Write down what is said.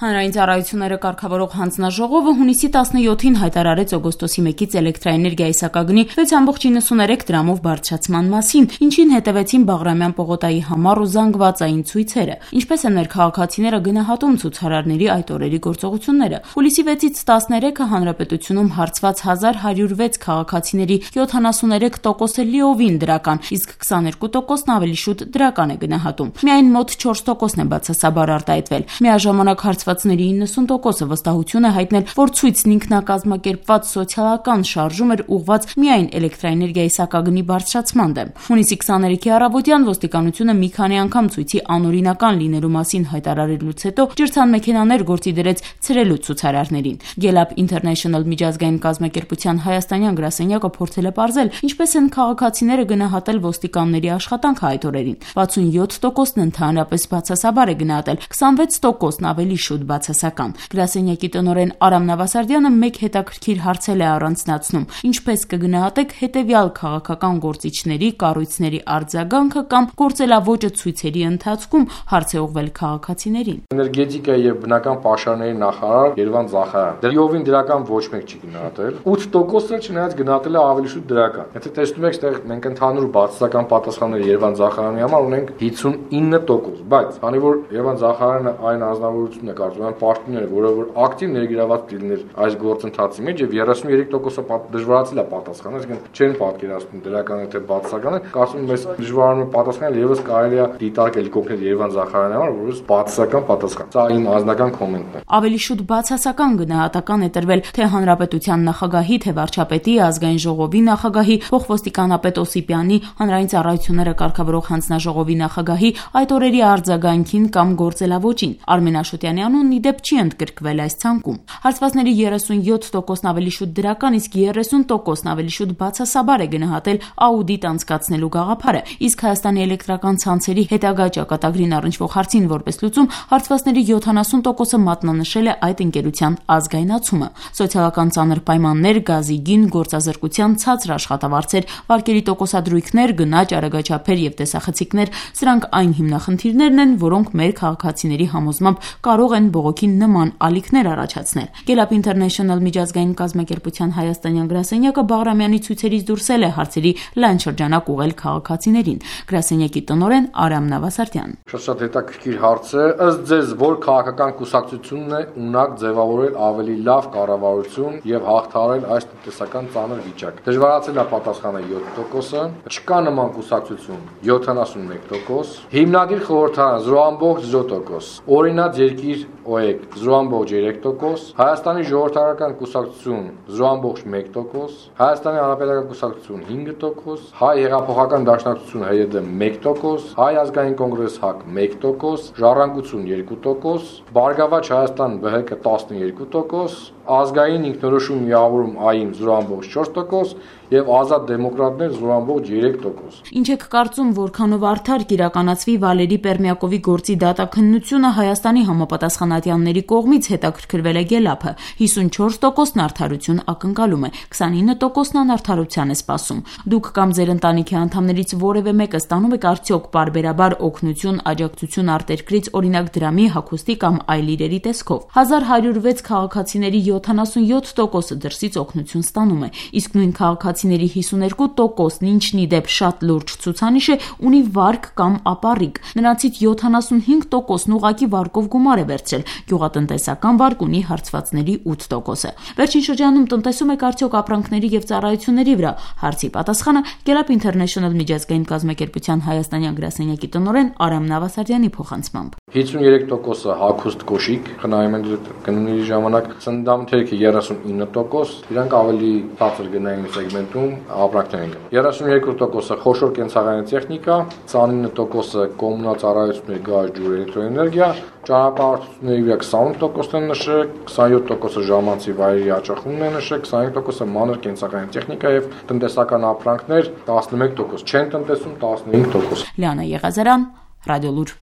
Հանրային ծառայությունները կարգավորող հանձնաժողովը հունիսի 17-ին հայտարարեց օգոստոսի 1-ից էլեկտրաէներգիայի սակագնի 6.93 դրամով բարձրացման մասին, ինչին հետևեցին Բաղրամյան պողոտայի համառ ու զանգվածային ցույցերը, ինչպես են մեր քաղաքացիները գնահատում ցուցարարների այդ օրերի գործողությունները։ Հուլիսի 6-ից 13-ը հանրապետությունում հարցված 1106 քաղաքացիների 73%-ը լիովին դրական, իսկ 22%-ն ավելի շուտ դրական է գնահատում։ Միայն մոտ 4%-ն է բացասաբար արտահայտվել։ Միաժամանակ հարցվածների 90%-ը վստահություն է հայտնել, որ ցույցն ինքնակազմակերպված սոցիալական շարժում էր ուղղված միայն էլեկտրաէներգիայի սակագնի բարձրացման դեմ։ Հունիսի 23-ի առավոտյան ոստիկանությունը մի քանի անգամ ցույցի անօրինական լինելու մասին հայտարարելուց հետո ջրցան մեքենաներ գործի դրեց ցրելու ցուցարարներին։ Gelab International միջազգային կազմակերպության հայաստանյան գրասենյակը փորձել է պարզել, ինչպես են քաղաքացիները գնահատել ոստիկանների աշխատանքը այդ օրերին։ 67%-ն ընդհանրապես բացասաբար է գնահատել, 26%-ն ավելի շուտ բացասական։ Գրասենյակի տնօրեն Արամ Նավասարդյանը մեկ հետաքրքիր հարցել է առանձնացնում. ինչպես կգնահատեք հետևյալ քաղաքական գործիչների, կառույցների արձագանքը կամ գործելավոճը ցույցերի ընթացքում, հարց է ուղղվել քաղաքացիներին։ Էներգետիկայի եւ բնական պաշարների նախարար Երվան Զախարյան դրիովին դրական ոչ մեկ չի գնահատել, 8%-ը չնայած գնահատել է ավելի շուտ դրական։ Եթե տեսնում եք, այստեղ մենք ընդհանուր բացասական պատասխանները Երվան Զախարյանի համար ունենք 59%, բայց քանի որ Երվան Զախարյանը այն անձնավորությունն է կարծում եմ պաշտոնները, որը որ ակտիվ ներգրաված լիներ այս գործընթացի մեջ եւ 33%-ը դժվարացել է պատասխանել, այսինքն չեն պատկերացնում դրական թե բացասականը, կարծում եմ այս դժվարանում պատասխանել եւս կարելի է դիտարկել կոնկրետ Երվան Զախարյանի համար, որպես բացասական պատասխան։ Սա իմ անձնական կոմենտն է։ Ավելի շուտ բացասական գնահատական է տրվել թե հանրապետության նախագահի, թե վարչապետի, ազգային ժողովի նախագահի, փոխոստիկանապետ Օսիպյանի, հանրային ծառայությունները կարգավորող հանձնաժողովի նախագահի այդ օրերի արձագանքին կամ գործելավոճին։ Արմեն Աշոտյանի անունն ի դեպ չի ընդգրկվել այս ցանկում։ Հարցվածների 37%-ն ավելի շուտ դրական, իսկ 30%-ն ավելի շուտ բացասաբար է գնահատել աուդիտ անցկացնելու գաղափարը, իսկ Հայաստանի էլեկտրական ցանցերի հետագա ճակատագրին առնչվող հարցին որպես լուծում հարցվածների 70%-ը մատնանշել է այդ ընկերության ազգայնացումը։ Սոցիալական ծանր պայմաններ, գազի գին, գործազրկության ցածր աշխատավարձեր, վարկերի տոկոսադրույքներ, գնաճ, արագաչափեր եւ տեսախցիկներ, սրանք այն հիմնախնդիրներն են, որոնք մեր քաղաքացիների համոզմամբ կարող են բողոքին նման ալիքներ առաջացնել։ Gelab International միջազգային կազմակերպության հայաստանյան գրասենյակը Բաղրամյանի ցույցերից դուրսել է հարցերի լայն շրջանակ ուղղել քաղաքացիներին։ Գրասենյակի տնօրեն Արամ Նավասարդյան. Շատ հետաքրքիր հարց է, ըստ ձեզ որ քաղաքական կուսակցությունն է ունակ ձևավորել ավելի լավ կառավարություն եւ հաղթահարել այս տնտեսական ծանր վիճակ։ Դժվարացել է պատասխանը 7%-ը, չկա նման կուսակցություն 71%, հիմնադիր խորհրդարան 0.0%, օրինաց երկիր ՕԵԿ 0.3%, Հայաստանի ժողովրդական կուսակցություն 0.1%, Հայաստանի հանրապետական կուսակցություն 5%, Հայ հեղափոխական դաշնակցություն ՀՅԴ 1%, Հայ ազգային կոնգրես ՀԱԿ 1%, Ժառանգություն 2%, Բարգավաճ Հայաստան ԲՀԿ 12%, Ազգային ինքնորոշում միավորում ԱԻՄ 0.4% եւ Ազատ դեմոկրատներ 0.3%։ Ինչ եք կարծում, որքանով արդար կիրականացվի Վալերի Պերմյակովի գործի դատաքննությունը Հայաստանի համապատասխանատյանների կողմից, հետաքրքրվել է Gelab-ը։ 54%-ն արդարություն ակնկալում է, 29%-ն անարդարության է սպասում։ Դուք կամ ձեր ընտանիքի անդամներից որևէ մեկը ստանում եք արդյոք պարբերաբար օգնություն, աջակցություն արտերկրից, օրինակ դրամի, հագուստի կամ այլ իրերի տեսքով։ 1106 քաղաքացիների 77%-ը դրսից օգնություն ստանում է, իսկ նույն քաղաքացիների 52%-ն, ինչն ի դեպ շատ լուրջ ցուցանիշ է, ունի վարկ կամ ապառիկ։ Նրանցից 75%-ն ուղղակի վարկով գումար է վերցրել, գյուղատնտեսական վարկ ունի հարցվածների 8%-ը։ Վերջին շրջանում տնտեսում եք արդյոք ապրանքների եւ ծառայությունների վրա։ Հարցի պատասխանը Gelab International միջազգային կազմակերպության հայաստանյան գրասենյակի տնօրեն Արամ Նավասարդյանի փոխանցմամբ 53%-ը հագուստ կոշիկ խնայում են գնումների ժամանակ, սննդամթերքը 39%, իրանք ավելի բարձր գնային սեգմենտում ապրանքներ են գնում։ 32%-ը խոշոր կենցաղային տեխնիկա, 29%-ը կոմունալ ծառայություններ, գազ, ջուր, էլեկտրոէներգիա, ճանապարհորդությունների վրա 28%-ն են նշել, 27%-ը ժամանցի վայրերի հաճախումն է նշել, 25%-ը մանր կենցաղային տեխնիկա եւ տնտեսական ապրանքներ, 11% չեն տնտեսում, 15%։ Լիանա Եղազարյան, Ռադիոլուր։